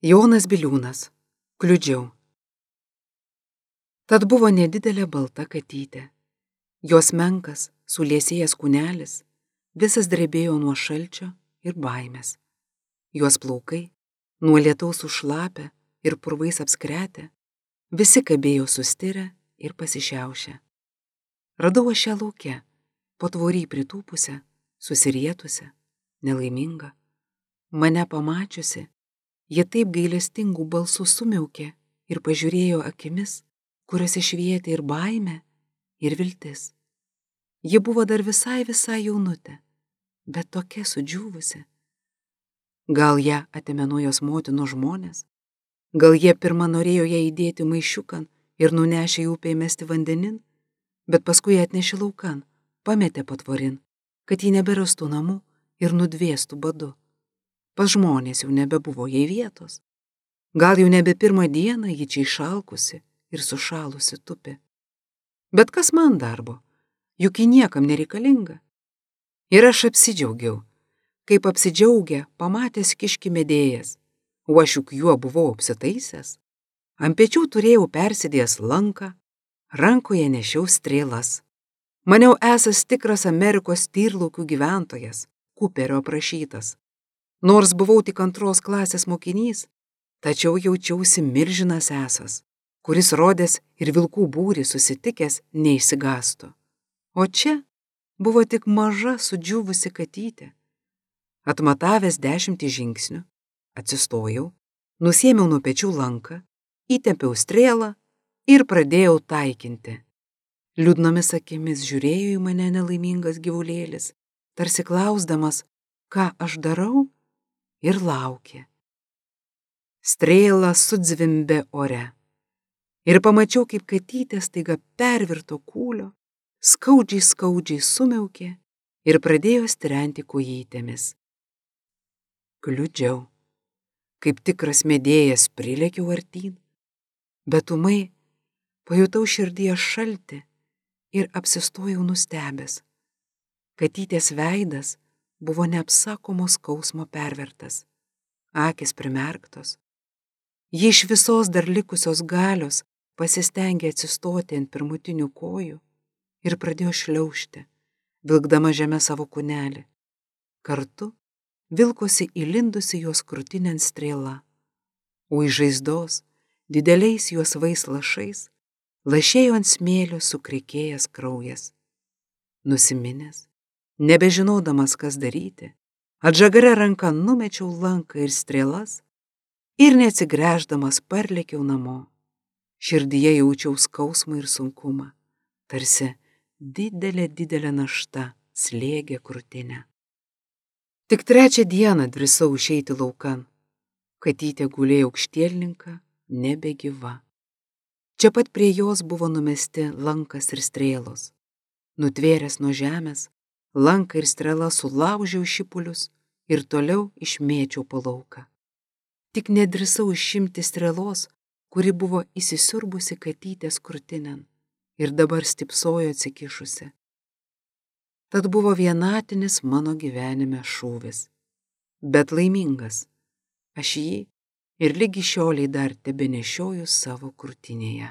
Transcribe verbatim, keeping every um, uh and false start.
Jonas Biliūnas. Kliudžiau. Tad buvo nedidelė balta katytė. Jos menkas, suliesėjęs kūnelis, visas drebėjo nuo šalčio ir baimės. Jos plaukai, nuo lietaus užšlapę ir purvais apskretę, visi kabėjo sustirę ir pasišiaušę. Radau aš ją lauke, po tvorį pritūpusią, susirietusią, nelaimingą. Mane pamačiusi, jie taip gailestingų balsų sumiaukė ir pažiūrėjo akimis, kuriuose švietė ir baimė, ir viltis. Ji buvo dar visai visai jaunutė, bet tokia sudžiūvusi. Gal ją atėmė nuo jos motinos žmonės, gal jie pirmą norėjo ją įdėti maišiukan ir nunešė į upę įmesti vandenin, bet paskui atnešė laukan, pametė patvorin, kad ji neberastų namų ir nudvėstų badu. Pas žmonės jau nebebuvo jai vietos. Gal jau nebe pirmą dieną ji čia išalkusi ir sušalusi tupi. Bet kas man darbo, juk ji niekam nereikalinga. Ir aš apsidžiaugiau, kaip apsidžiaugė pamatęs kiškį medėjas, o aš juk juo buvau apsitaisęs. Ant pečių turėjau persidėjęs lanką, rankoje nešiau strėlas. Maniau esas tikras Amerikos tyrlaukių gyventojas, Kuperio aprašytas. Nors buvau tik antros klasės mokinys, tačiau jaučiausi milžinas esas, kuris rodęs ir vilkų būrį susitikęs neišsigąstų. O čia buvo tik maža sudžiūvusi katytė. Atmatavęs dešimtį žingsnių, atsistojau, nusiėmiau nuo pečių lanką, įtempiau strėlą ir pradėjau taikinti. Liūdnomis akimis žiūrėjo į mane nelaimingas gyvulėlis, tarsi klausdamas, ką aš darau, ir laukė. Strėla sudzvimbė ore. Ir pamačiau, kaip katytė staiga pervirto kūlio, skaudžiai skaudžiai sumiaukė ir pradėjo strenti kojytėmis. Kliudžiau. Kaip tikras medėjas prilėkiau artyn, bet ūmai pajutau širdyje šaltį ir apsistojau nustebęs. Katytės veidas buvo neapsakomo skausmo pervertas, akys primerktos. Ji iš visos dar likusios galios pasistengė atsistoti ant pirmutinių kojų ir pradėjo šliaužti, vilkdama žemę savo kūnelį. Kartu vilkosi įlindusi jos krūtinėn strėla, o iš žaizdos dideliais juosvais lašais lašėjo ant smėlio sukrikėjęs kraujas. Nusiminęs, nebežinodamas, kas daryti, atžagaria ranka numečiau lanką ir strėlas ir neatsigręždamas parlėkiau namo. Širdyje jaučiau skausmą ir sunkumą, tarsi didelė didelė našta slėgė krūtinę. Tik trečią dieną drįsau išeiti laukan. Katytė gulėjo aukštielninka, nebegyva. Čia pat prie jos buvo numesti lankas ir strėlos. Nutvėręs nuo žemės, lanką ir strėlą sulaužiau šipulius ir toliau išmėčiau po lauką. Tik nedrįsau išimti strėlos, kuri buvo įsisiurbusi katytės krūtinėn ir dabar stipsojo atsikišusi. Tad buvo vienatinis mano gyvenime šūvis, bet laimingas. Aš jį ir lygi šioliai dar tebenešioju savo krūtinėje.